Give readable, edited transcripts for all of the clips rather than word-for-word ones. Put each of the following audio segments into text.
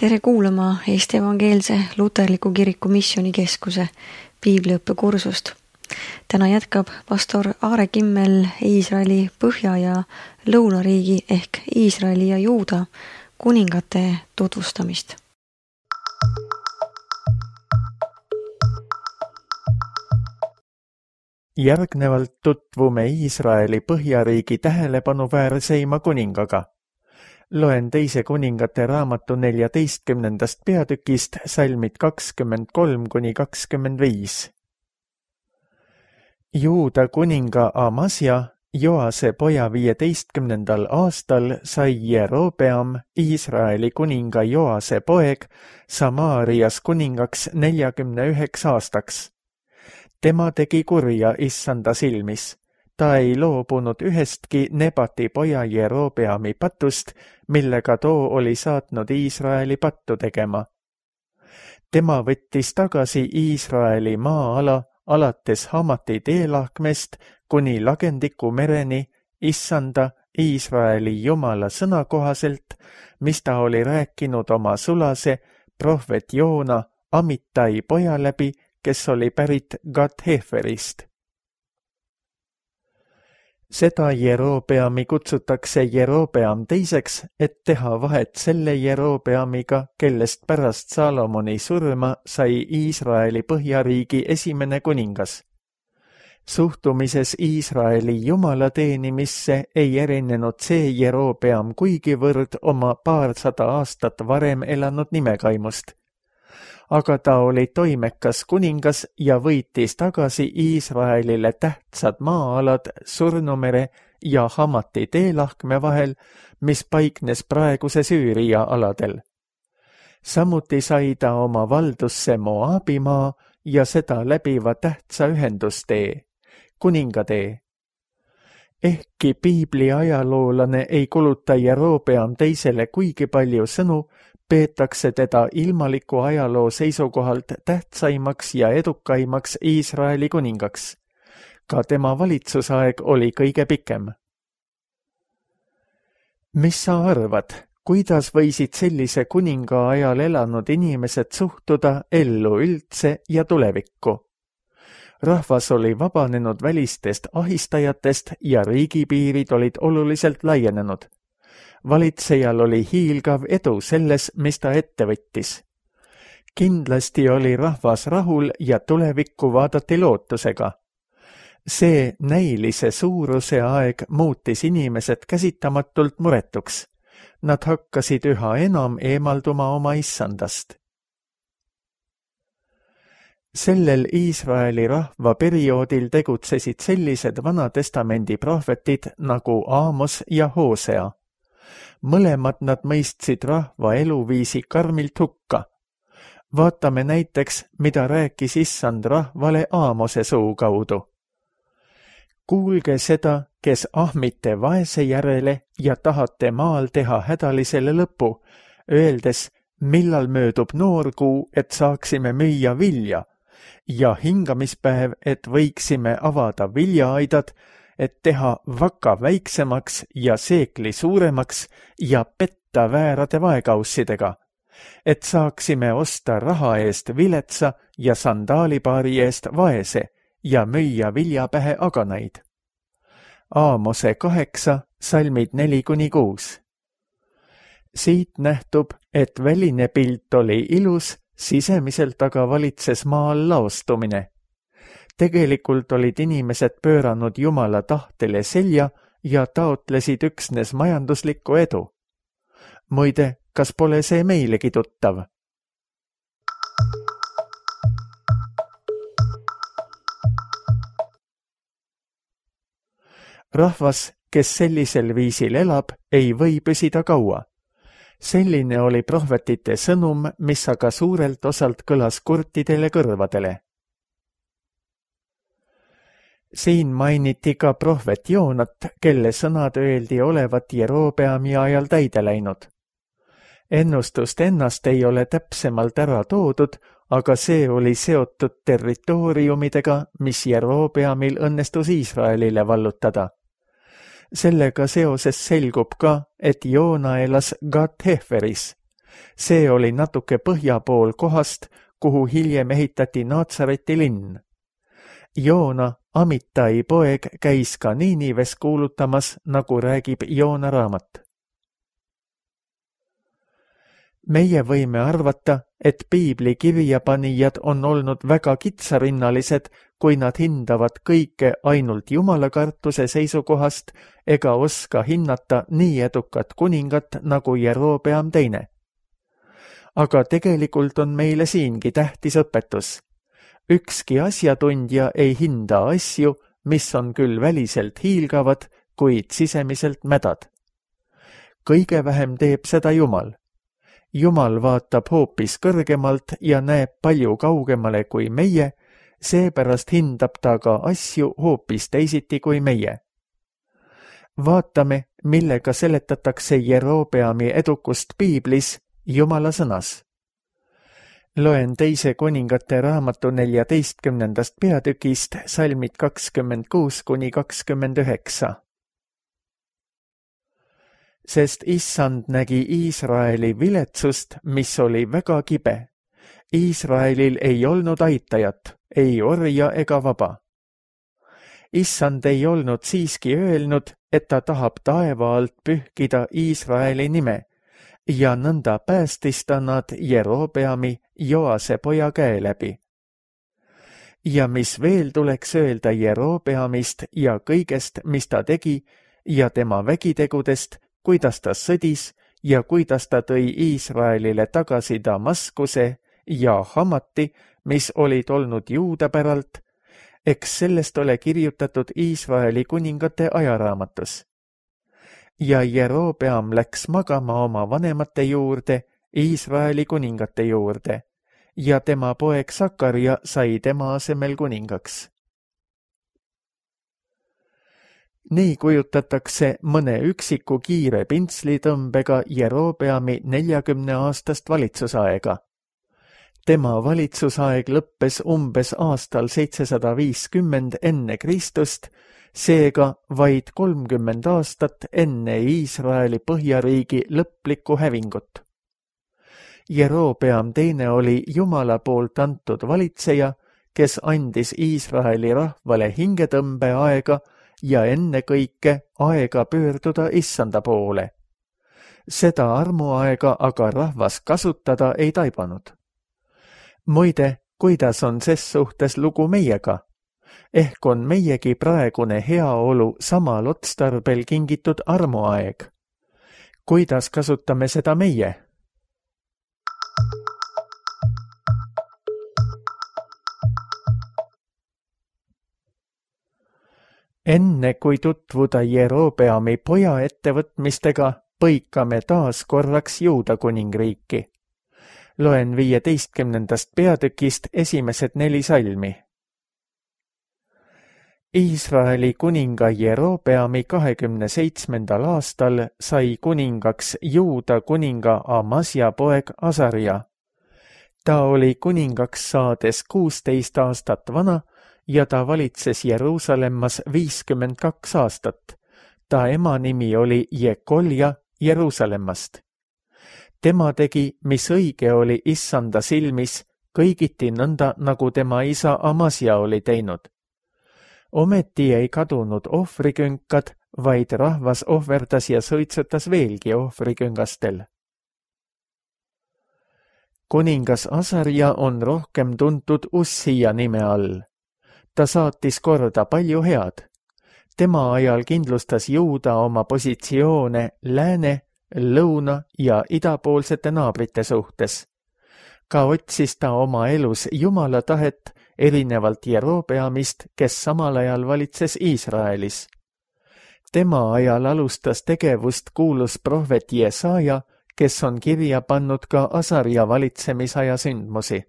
Tere kuulama Eesti Evangeelse Luterliku Kiriku Missioonikeskuse piibliõppekursust. Täna jätkab pastor Aare Kimmel Iisraeli põhja- ja lõunariigi ehk Iisraeli ja Juuda kuningate tutvustamist. Järgnevalt tutvume Iisraeli põhjariigi tähelepanuväärseima kuningaga. Loen teise kuningate raamatu 14. peatükist salmid 23–25. Juuda kuninga Amasja, Joase poja 15. aastal sai Jerobeam, Iisraeli kuninga Joase poeg, Samaarias kuningaks 49 aastaks. Tema tegi kurja Issanda silmis. Ta ei loobunud ühestki Nebati poja Jerobeami patust, millega too oli saatnud Iisraeli pattu tegema. Tema võttis tagasi Iisraeli maa-ala alates Hamati teelahkmest kuni Lagendiku mereni Issanda Iisraeli Jumala sõna kohaselt, mis ta oli rääkinud oma sulase prohvet Joona Amittai poja läbi, kes oli pärit Gat-Heferist. Seda Jerobeami kutsutakse Jerobeam teiseks, et teha vahet selle Jerobeamiga, kellest pärast Salomoni surma sai Iisraeli põhjariigi esimene kuningas. Suhtumises Iisraeli Jumala teenimisse ei erinenud see Jerobeam kuigivõrd oma paarsada aastat varem elanud nimekaimust. Aga ta oli toimekas kuningas ja võitis tagasi Iisraelile tähtsad maa-alad Surnumere ja Hamati teelahkme vahel, mis paiknes praeguse Süüria aladel. Samuti sai ta oma valdusse Moabimaa ja seda läbiva tähtsa ühendustee, kuningatee. Ehkki piibli ajaloolane ei kuluta Jerobeam teisele kuigi palju sõnu, peetakse teda ilmaliku ajaloo seisukohalt tähtsaimaks ja edukaimaks Iisraeli kuningaks. Ka tema valitsusaeg oli kõige pikem. Mis sa arvad, kuidas võisid sellise kuninga ajal elanud inimesed suhtuda ellu üldse ja tulevikku? Rahvas oli vabanenud välistest ahistajatest ja riigipiirid olid oluliselt laienenud. Valitsejal oli hiilgav edu selles, mis ta ette võttis. Kindlasti oli rahvas rahul ja tulevikku vaadati lootusega. See näilise suuruse aeg muutis inimesed käsitamatult muretuks. Nad hakkasid üha enam eemalduma oma issandast. Sellel Iisraeli rahva perioodil tegutsesid sellised Vanatestamendi prohvetid nagu Aamos ja Hosea. Mõlemad nad mõistsid rahva eluviisi karmilt hukka. Vaatame näiteks, mida rääkis issand rahvale Aamose suu kaudu. Kuulge seda, kes ahmite vaese järele ja tahate maal teha hädalisele lõpu, öeldes, millal möödub noorkuu, et saaksime müüa vilja, ja hingamispäev, et võiksime avada viljaaidad, et teha vaka väiksemaks ja seekli suuremaks ja petta väärade vaekaussidega, et saaksime osta raha eest viletsa ja sandaalipaari eest vaese ja müüa viljapähe aganaid. Aamose 8, salmid 4–6. Siit nähtub, et väline pilt oli ilus, sisemiselt aga valitses maal laostumine. Tegelikult olid inimesed pööranud Jumala tahtele selja ja taotlesid üksnes majanduslikku edu. Muide, kas pole see meilegi tuttav? Rahvas, kes sellisel viisil elab, ei või püsida kaua. Selline oli prohvetite sõnum, mis aga suurelt osalt kõlas kurtidele kõrvadele. Siin mainiti ka prohvet Joonat, kelle sõnad öeldi olevat Jerobeami ajal täide läinud. Ennustust ennast ei ole täpsemalt ära toodud, aga see oli seotud territooriumidega, mis Jerobeamil õnnestus Iisraelile vallutada. Sellega seoses selgub ka, et Joona elas Gat-Heferis. See oli natuke põhja pool kohast, kuhu hiljem ehitati Naatsareti linn. Joona, Amitai poeg, käis ka Niinives kuulutamas, nagu räägib Joona raamat. Meie võime arvata, et piibli kirjapanijad on olnud väga kitsarinnalised, kui nad hindavad kõike ainult jumalakartuse seisukohast ega oska hinnata nii edukat kuningat nagu Jerobeam teine. Aga tegelikult on meile siingi tähtis õpetus. Ükski asjatundja ei hinda asju, mis on küll väliselt hiilgavad, kuid sisemiselt mädad. Kõige vähem teeb seda Jumal. Jumal vaatab hoopis kõrgemalt ja näeb palju kaugemale kui meie, seepärast hindab ta ka asju hoopis teisiti kui meie. Vaatame, millega seletatakse Jerobeami edukust piiblis Jumala sõnas. Loen 2. Kuningate raamatu 14. peatükist salmid 26–29. Sest Issand nägi Iisraeli viletsust, mis oli väga kibe. Iisraelil ei olnud aitajat, ei orja ega vaba. Issand ei olnud siiski öelnud, et ta tahab taeva alt pühkida Iisraeli nime, ja nõnda päästis ta nad Jerobeami, Joase poja käe läbi. Ja mis veel tuleks öelda Jerobeamist ja kõigest, mis ta tegi, ja tema vägitegudest, kuidas ta sõdis ja kuidas ta tõi Iisraelile tagasi Damaskuse ja Hamati, mis olid olnud Juuda päralt, eks sellest ole kirjutatud Iisraeli kuningate ajaraamatus. Ja Jerobeam läks magama oma vanemate juurde, Iisraeli kuningate juurde, ja tema poeg Sakaria sai tema asemel kuningaks. Nii kujutatakse mõne üksiku kiire pintslitõmbega Jerobeami 40-aastast valitsusaega. Tema valitsusaeg lõppes umbes aastal 750 enne Kristust, seega vaid 30 aastat enne Iisraeli põhjariigi lõplikku hävingut. Jerobeam teine oli Jumala poolt antud valitseja, kes andis Iisraeli rahvale hingetõmbeaega ja ennekõike aega pöörduda Issanda poole. Seda armuaega aga rahvas kasutada ei taibanud. Muide, kuidas on ses suhtes lugu meiega? Ehk on meiegi praegune heaolu samal otstarbel kingitud armuaeg. Kuidas kasutame seda meie? Enne kui tutvuda Jerobeami poja ettevõtmistega, põikame taas korraks Juuda kuningriiki. Loen 15. peatükist esimesed 4 salmi. Iisraeli kuninga Jerobeami 27. aastal sai kuningaks Juuda kuninga Amasja poeg Asaria. Ta oli kuningaks saades 16 aastat vana ja ta valitses Jeruusalemmas 52 aastat. Ta ema nimi oli Jekolja Jeruusalemmast. Tema tegi, mis õige oli Issanda silmis, kõigiti nõnda, nagu tema isa Amasja oli teinud. Ometi ei kadunud ohvrikünkad, vaid rahvas ohverdas ja suitsutas veelgi ohvriküngastel. Kuningas Asaria on rohkem tuntud Ussija nime all. Ta saatis korda palju head. Tema ajal kindlustas Juuda oma positsioone lääne, lõuna ja idapoolsete naabrite suhtes. Ka otsis ta oma elus Jumala tahet, erinevalt Jerobeamist, kes samal ajal valitses Iisraelis. Tema ajal alustas tegevust kuulus prohvet Jesaja, kes on kirja pannud ka Asaria valitsemisaja sündmusi.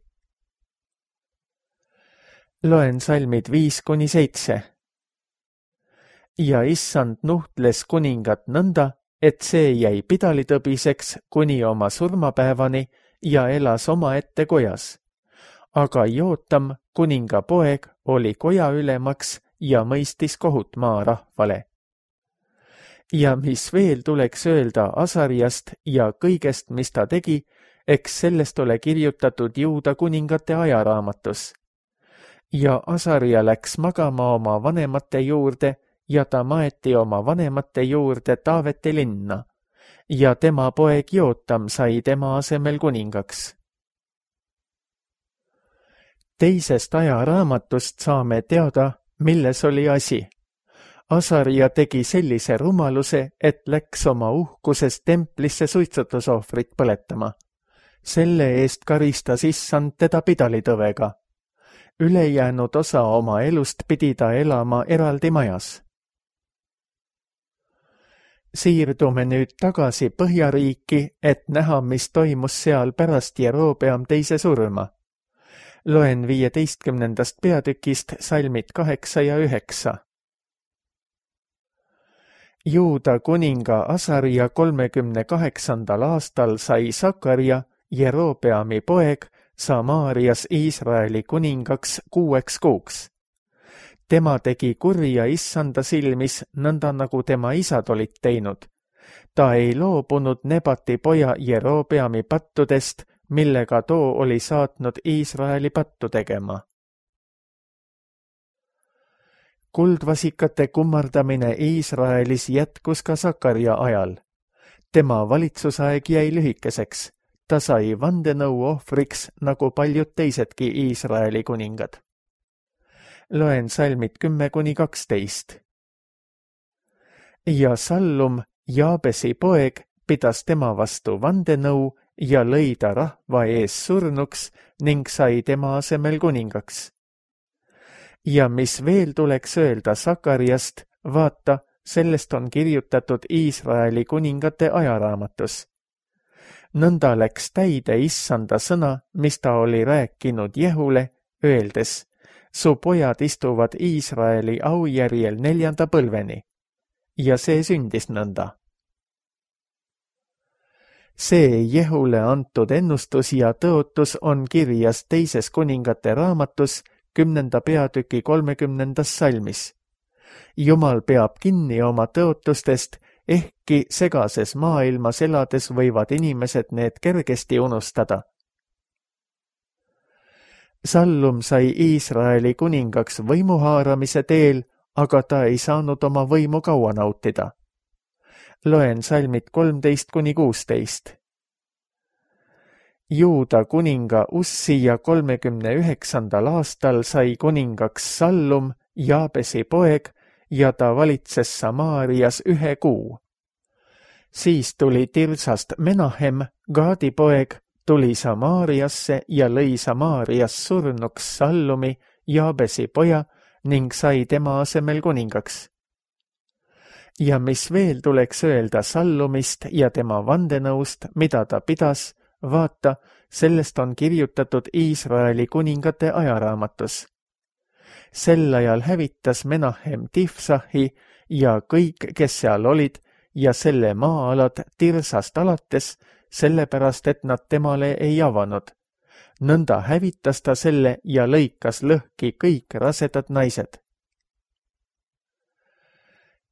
Loen salmid 5–7. Ja Issand nuhtles kuningat nõnda, et see jäi pidalitõbiseks kuni oma surmapäevani ja elas omaette kojas. Aga Jootam, kuninga poeg, oli koja ülemaks ja mõistis kohut maarahvale. Ja mis veel tuleks öelda Asariast ja kõigest, mis ta tegi, eks sellest ole kirjutatud Juuda kuningate ajaraamatus. Ja Asaria läks magama oma vanemate juurde ja ta maeti oma vanemate juurde Taaveti linna ja tema poeg Jootam sai tema asemel kuningaks. Teisest ajaraamatust saame teada, milles oli asi. Asaria tegi sellise rumaluse, et läks oma uhkuses templisse suitsutusohvrit põletama. Selle eest karistas issand teda pidalitõvega. Ülejäänud osa oma elust pidi ta elama eraldi majas. Siirdume nüüd tagasi Põhjariiki, et näha, mis toimus seal pärast Jerobeam teise surma. Loen 15. peatükist salmid 8 ja 9. Juuda kuninga Asaria 38. aastal sai Sakaria, Jerobeami poeg, Samaarias Iisraeli kuningaks 6 kuuks. Tema tegi kurja issanda silmis, nõnda nagu tema isad olid teinud. Ta ei loobunud Nebati poja Jerobeami pattudest, millega too oli saatnud Iisraeli pattu tegema. Kuldvasikate kummardamine Iisraelis jätkus ka Sakaria ajal. Tema valitsusaeg jäi lühikeseks. Ta sai vandenõu ohvriks nagu paljud teisedki Iisraeli kuningad. Loen salmid 10-12. Ja Sallum, Jaabesi poeg, pidas tema vastu vandenõu ja lõi ta rahva ees surnuks ning sai tema asemel kuningaks. Ja mis veel tuleks öelda Sakariast, vaata, sellest on kirjutatud Iisraeli kuningate ajaraamatus. Nõnda läks täide issanda sõna, mis ta oli rääkinud Jehule, öeldes, su pojad istuvad Iisraeli aujärjel 4. põlveni. Ja see sündis nõnda. See Jehule antud ennustus ja tõotus on kirjas teises kuningate raamatus 10. peatüki 30. salmis. Jumal peab kinni oma tõotustest, ehkki segases maailmas elades võivad inimesed need kergesti unustada. Sallum sai Iisraeli kuningaks võimuhaaramise teel, aga ta ei saanud oma võimu kaua nautida. Loen salmid 13-16. Juuda kuninga Ussia 39. aastal sai kuningaks Sallum, Jaabesi poeg, ja ta valitses Samaarias 1 kuu. Siis tuli Tirsast Menahem, Gaadi poeg, tuli Samaariasse ja lõi Samaarias surnuks Sallumi, Jaabesi poja, ning sai tema asemel kuningaks. Ja mis veel tuleks öelda Sallumist ja tema vandenõust, mida ta pidas, vaata, sellest on kirjutatud Iisraeli kuningate ajaraamatus. Sel ajal hävitas Menahem Tifsahi ja kõik, kes seal olid, ja selle maa-alad Tirsast alates, sellepärast, et nad temale ei avanud. Nõnda hävitas ta selle ja lõikas lõhki kõik rasedad naised.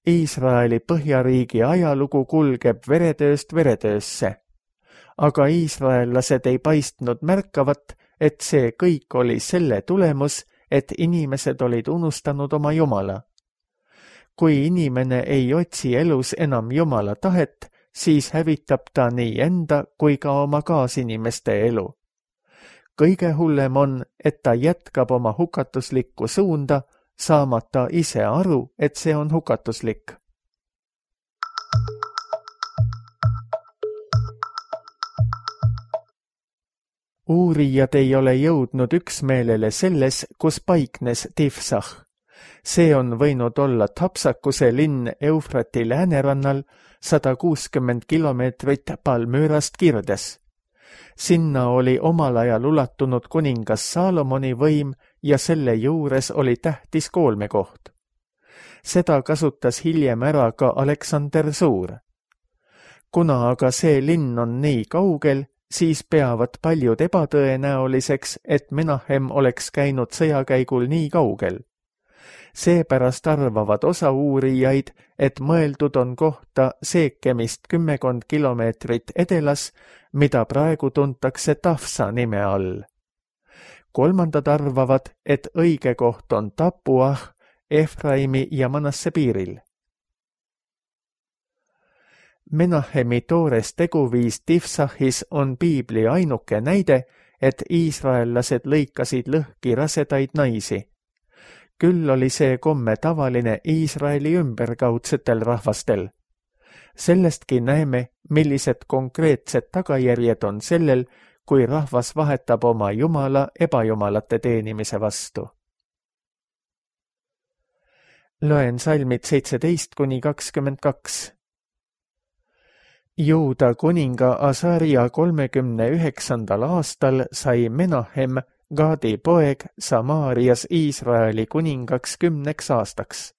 Iisraeli Põhjariigi ajalugu kulgeb veretööst veretöösse, aga iisraellased ei paistnud märkavat, et see kõik oli selle tulemus, et inimesed olid unustanud oma Jumala. Kui inimene ei otsi elus enam Jumala tahet, siis hävitab ta nii enda kui ka oma kaasinimeste elu. Kõige hullem on, et ta jätkab oma hukatuslikku suunda, saamata ise aru, et see on hukatuslik. Uurijad ei ole jõudnud üksmeelele selles, kus paiknes Tifsah. See on võinud olla Tapsakuse linn Eufrati läänerannal 160 kilomeetrit Palmüürast kirdes. Sinna oli omal ajal ulatunud kuningas Saalomoni võim ja selle juures oli tähtis koolmekoht. Seda kasutas hiljem ära ka Aleksander Suur. Kuna aga see linn on nii kaugel, siis peavad paljud ebatõenäoliseks, et Menahem oleks käinud sõjakäigul nii kaugel. Seepärast arvavad osa uurijaid, et mõeldud on kohta Seekemist 10 kilomeetrit edelas, mida praegu tuntakse Tafsa nime all. Kolmandad arvavad, et õige koht on Tapuah, Efraimi ja Manasse piiril. Menahemi toores teguviis Tifsahis on piibli ainuke näide, et iisraellased lõikasid lõhki rasedaid naisi. Küll oli see komme tavaline Iisraeli ümberkaudsetel rahvastel. Sellestki näeme, millised konkreetsed tagajärjed on sellel, kui rahvas vahetab oma jumala ebajumalate teenimise vastu. Loen salmid 17-22. Juuda kuninga Asaria 39. aastal sai Menahem, Gaadi poeg, Samaarias Iisraeli kuningaks 10 aastaks.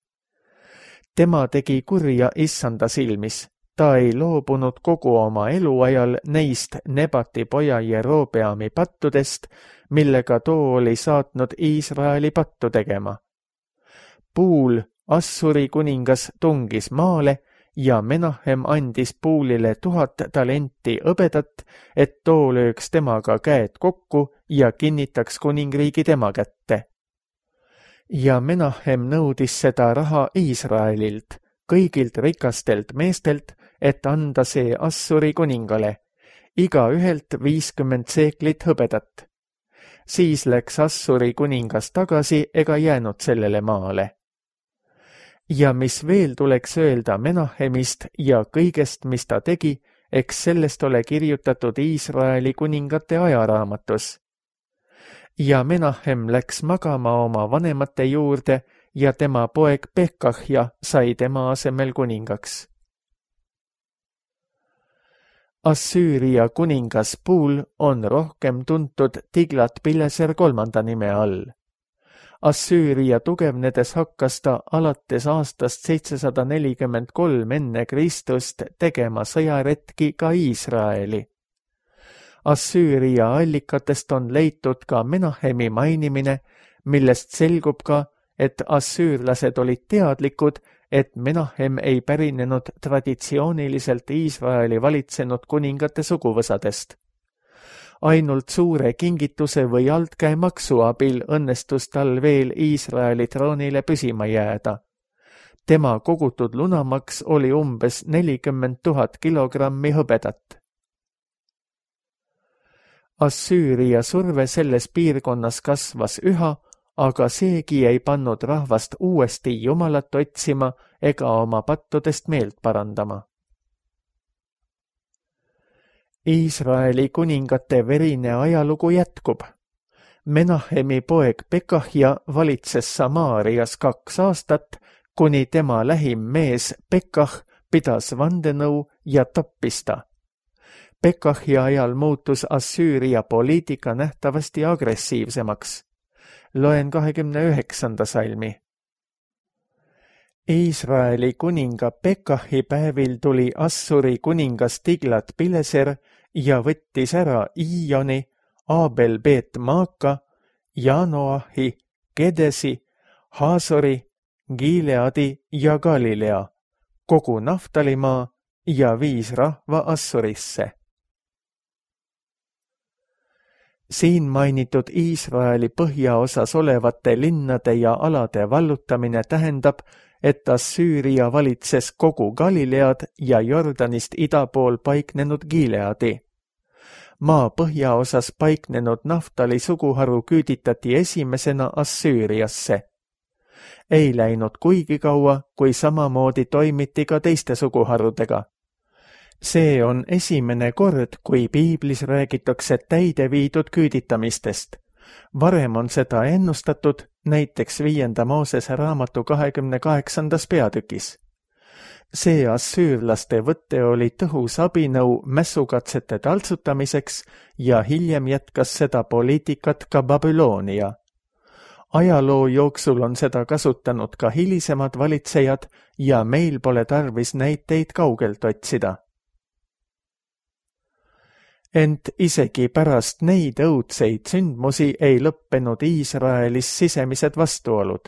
Tema tegi kurja issanda silmis. Ta ei loobunud kogu oma eluajal neist Nebati poja Jerobeami pattudest, millega too oli saatnud Iisraeli pattu tegema. Puul, Assuri kuningas, tungis maale ja Menahem andis Puulile 1000 talenti hõbedat, et too lööks temaga käed kokku ja kinnitaks kuningriigi tema kätte. Ja Menahem nõudis seda raha Iisraelilt, kõigilt rikastelt meestelt, et anda see Assuri kuningale, igaühelt 50 seeklit hõbedat. Siis läks Assuri kuningas tagasi ega jäänud sellele maale. Ja mis veel tuleks öelda Menahemist ja kõigest, mis ta tegi, eks sellest ole kirjutatud Iisraeli kuningate ajaraamatus. Ja Menahem läks magama oma vanemate juurde ja tema poeg Pekahja sai tema asemel kuningaks. Assüüria kuningas Puul on rohkem tuntud Tiglat-Pileser 3. nime all. Assüüria tugevnedes hakkas ta alates aastast 743 enne Kristust tegema sõjaretki ka Iisraeli. Assüüria allikatest on leitud ka Menahemi mainimine, millest selgub ka, et assüürlased olid teadlikud, et Menahem ei pärinenud traditsiooniliselt Iisraeli valitsenud kuningate suguvõsadest. Ainult suure kingituse või altkäemaksu abil õnnestus tal veel Iisraeli troonile püsima jääda. Tema kogutud lunamaks oli umbes 40 000 kilogrammi hõbedat. Assüüria surve selles piirkonnas kasvas üha, aga seegi ei pannud rahvast uuesti jumalat otsima ega oma pattudest meelt parandama. Iisraeli kuningate verine ajalugu jätkub. Menahemi poeg Pekahja valitses Samaarias 2 aastat, kuni tema lähim mees Pekah pidas vandenõu ja tappis ta. Pekahja ajal muutus Assüüria poliitika nähtavasti agressiivsemaks. Loen 29. salmi. Iisraeli kuninga Pekahi päevil tuli Assuri kuningas Tiglat-Pileser ja võttis ära Iioni, Abel-Bet-Maaka, Janoahi, Kedesi, Haasori, Gileadi ja Galilea, kogu Naftalimaa ja viis rahva Assurisse. Siin mainitud Iisraeli põhjaosas olevate linnade ja alade vallutamine tähendab, et Assüüria valitses kogu Galilead ja Jordanist ida pool paiknenud Gileadi. Maa põhjaosas paiknenud Naftali suguharu küüditati esimesena Assüüriasse. Ei läinud kuigi kaua, kui samamoodi toimiti ka teiste suguharudega. See on esimene kord, kui piiblis räägitakse täide viidud küüditamistest. Varem on seda ennustatud näiteks 5. Moosese raamatu 28. peatükis. See assüürlaste võtte oli tõhus abinõu mässukatsete taltsutamiseks ja hiljem jätkas seda poliitikat ka Babyloonia. Ajaloo jooksul on seda kasutanud ka hilisemad valitsejad ja meil pole tarvis näiteid kaugelt otsida. Ent isegi pärast neid õudseid sündmusi ei lõppenud Iisraelis sisemised vastuolud.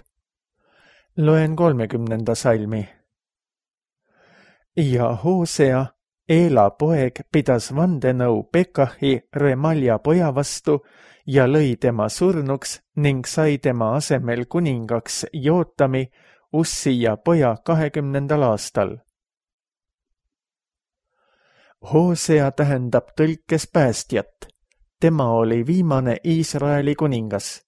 Loen 30. salmi. Ja Hosea, Eela poeg, pidas vandenõu Pekahi, Remalja poja vastu ja lõi tema surnuks ning sai tema asemel kuningaks Jootami, Ussija poja 20. aastal. Hosea tähendab tõlkes päästjat. Tema oli viimane Iisraeli kuningas.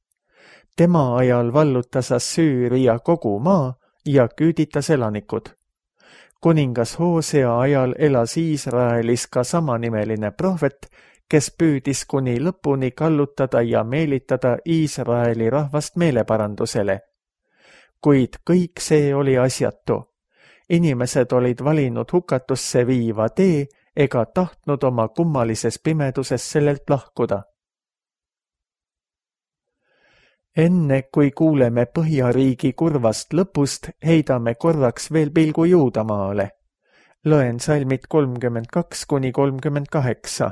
Tema ajal vallutas Assüüria kogu maa ja küüditas elanikud. Kuningas Hosea ajal elas Iisraelis ka samanimeline prohvet, kes püüdis kuni lõpuni kallutada ja meelitada Iisraeli rahvast meeleparandusele. Kuid kõik see oli asjatu. Inimesed olid valinud hukatusse viiva tee ega tahtnud oma kummalises pimeduses sellelt lahkuda. Enne kui kuuleme Põhjariigi kurvast lõpust, heidame korraks veel pilgu Juudamaale. Loen salmid 32–38.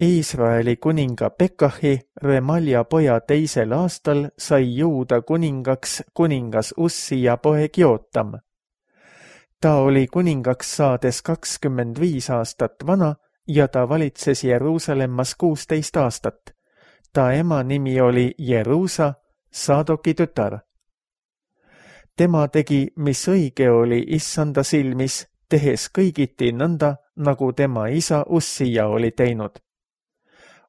Iisraeli kuninga Pekahi, Remalja poja 2. aastal sai Juuda kuningaks kuningas Ussija poeg Jootam. Ta oli kuningaks saades 25 aastat vana ja ta valitses Jeruusalemmas 16 aastat. Ta ema nimi oli Jeruusa, Saadoki tütar. Tema tegi, mis õige oli Issanda silmis, tehes kõigiti nõnda, nagu tema isa Ussija oli teinud.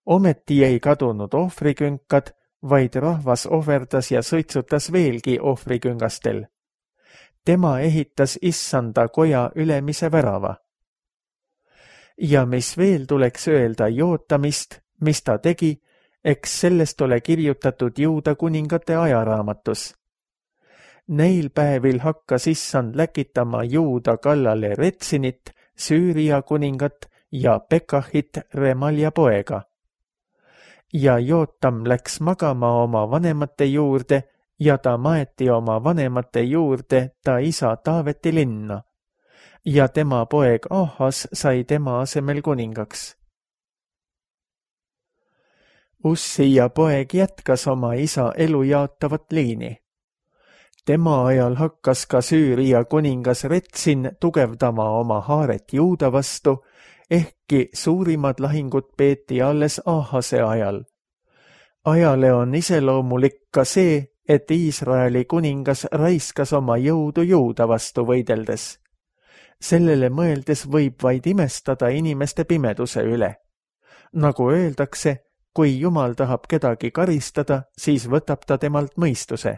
Ometi ei kadunud ohvrikünkad, vaid rahvas ohverdas ja sõitsutas veelgi ohvriküngastel. Tema ehitas Issanda koja ülemise värava. Ja mis veel tuleks öelda Jootamist, mis ta tegi, eks sellest ole kirjutatud Juuda kuningate ajaraamatus. Neil päevil hakkas Issand läkitama Juuda kallale Retsinit, Süüria kuningat ja Pekahit, Remalja poega. Ja Jootam läks magama oma vanemate juurde ja ta maeti oma vanemate juurde ta isa Taaveti linna. Ja tema poeg Ahas sai tema asemel kuningaks. Ussija poeg jätkas oma isa elu jaotavat liini. Tema ajal hakkas ka Süüria kuningas Retsin tugevdama oma haaret Juuda vastu, ehkki suurimad lahingud peeti alles Ahase ajal. Ajale on iseloomulik ka see, et Iisraeli kuningas raiskas oma jõudu Juuda vastu võideldes. Sellele mõeldes võib vaid imestada inimeste pimeduse üle. Nagu öeldakse, kui Jumal tahab kedagi karistada, siis võtab ta temalt mõistuse.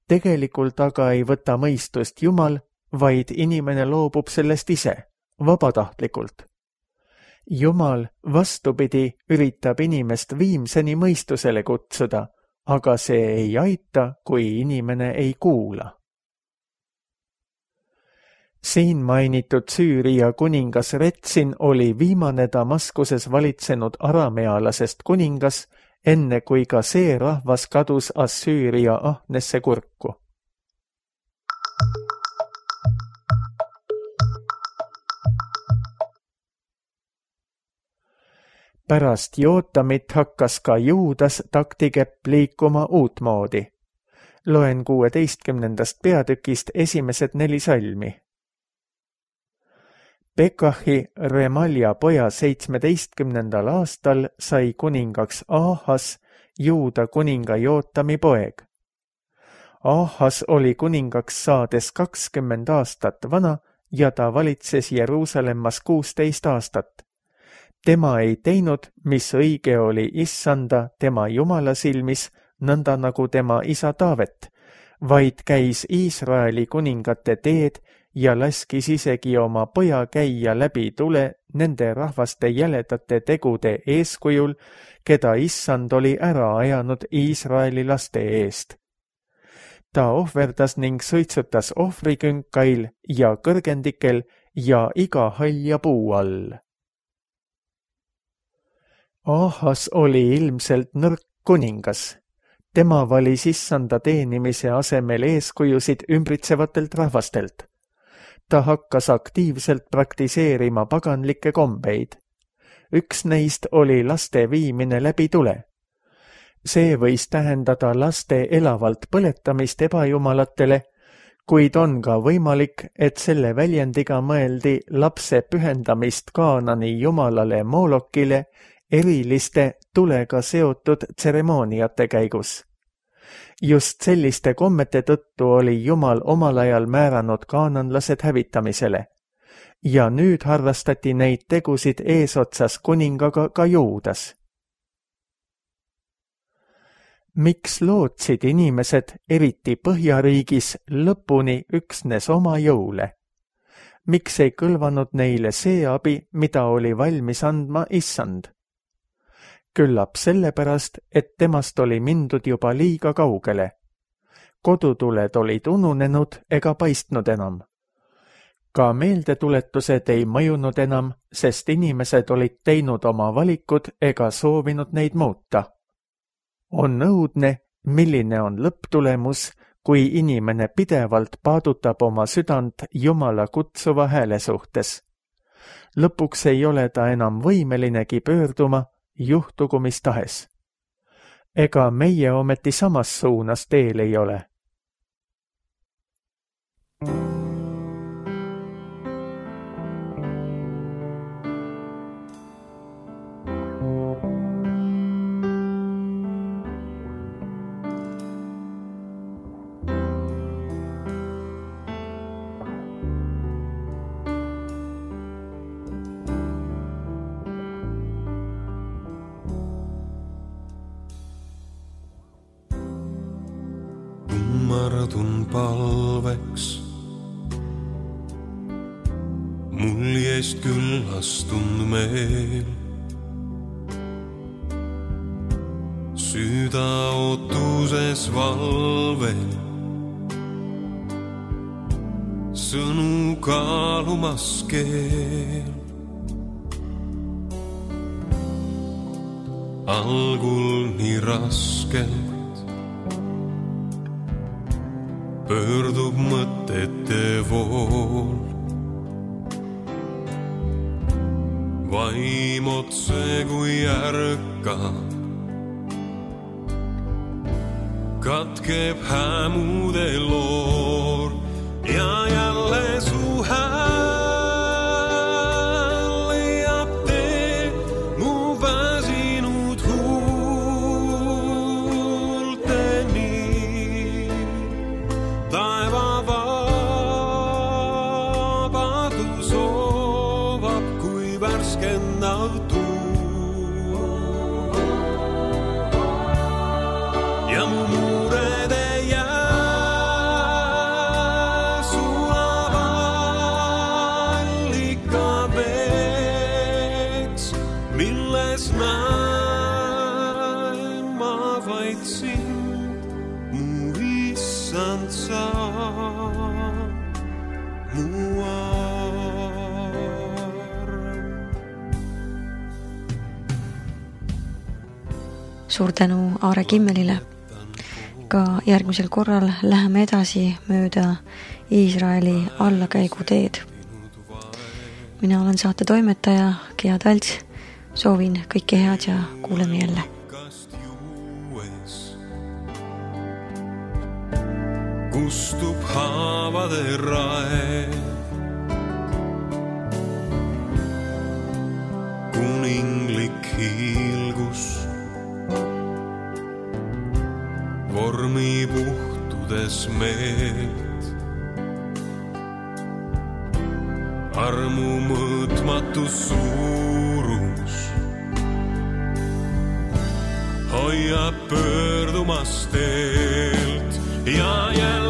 Tegelikult aga ei võta mõistust Jumal, vaid inimene loobub sellest ise, vabatahtlikult. Jumal, vastupidi, üritab inimest viimseni mõistusele kutsuda, aga see ei aita, kui inimene ei kuula. Siin mainitud Süüria kuningas Retsin oli viimane Damaskuses valitsenud aramealasest kuningas, enne kui ka see rahvas kadus Assüüria ahnesse kurku. Pärast Jootamit hakkas ka Juudas taktikepp liikuma uutmoodi. Loen 16. peatükist esimesed 4 salmi. Pekahi, Remalja poja 17. aastal sai kuningaks Ahas, Juuda kuninga Jootami poeg. Ahas oli kuningaks saades 20 aastat vana ja ta valitses Jeruusalemmas 16 aastat. Tema ei teinud, mis õige oli Issanda, tema Jumala silmis, nõnda nagu tema isa Taavet, vaid käis Iisraeli kuningate teed ja laskis isegi oma poja käia läbi tule nende rahvaste jäledate tegude eeskujul, keda Issand oli ära ajanud Iisraeli laste eest. Ta ohverdas ning sõitsutas ohvrikünkail ja kõrgendikel ja iga halja puu all. Ahas oli ilmselt nõrk kuningas. Tema valis Issanda teenimise asemel eeskujusid ümbritsevatelt rahvastelt. Ta hakkas aktiivselt praktiseerima paganlikke kombeid. Üks neist oli laste viimine läbi tule. See võis tähendada laste elavalt põletamist ebajumalatele, kuid on ka võimalik, et selle väljendiga mõeldi lapse pühendamist Kaanani jumalale Moolokile eriliste tulega seotud tseremooniate käigus. Just selliste kommete tõttu oli Jumal omal ajal määranud kaananlased hävitamisele ja nüüd harrastati neid tegusid eesotsas kuningaga ka Juudas. Miks lootsid inimesed, eriti Põhjariigis, lõpuni üksnes oma jõule? Miks ei kõlvanud neile see abi, mida oli valmis andma Issand? Küllap sellepärast, et temast oli mindud juba liiga kaugele. Kodutuled olid ununenud ega paistnud enam. Ka meeldetuletused ei mõjunud enam, sest inimesed olid teinud oma valikud ega soovinud neid muuta. On õudne, milline on lõpptulemus, kui inimene pidevalt paadutab oma südant Jumala kutsuva hääle suhtes. Lõpuks ei ole ta enam võimelinegi pöörduma, juhtugu mis tahes. Ega meie ometi samas suunas teel ei ole. Kummardun palveks, muljest küllastund meel. Süda ootuses valvel, sõnu kaalumas keel. Algul nii raskelt pöördub mõtete vool. Vaim otse kui ärkab, katkeb hämude loor ja jälle su hääl leiab tee mu väsinud huulteni. Taeva vabadus soovab kui värskendav tuul ja mu muured ei jää sulab allika veeks, milles näen ma vaid sind, mu Issand sa. Suur tänu Aare Kimmelile. Ka järgmisel korral läheme edasi mööda Iisraeli allakäiguteed. Mina olen saate toimetaja Gea Talts. Soovin kõike head ja kuuleme jälle. Kustub haavade rae, kuninglik hiilgus vormi puhtudes meelt. Armu mõõtmatu suurus hoiab pöördumas teelt ja jälle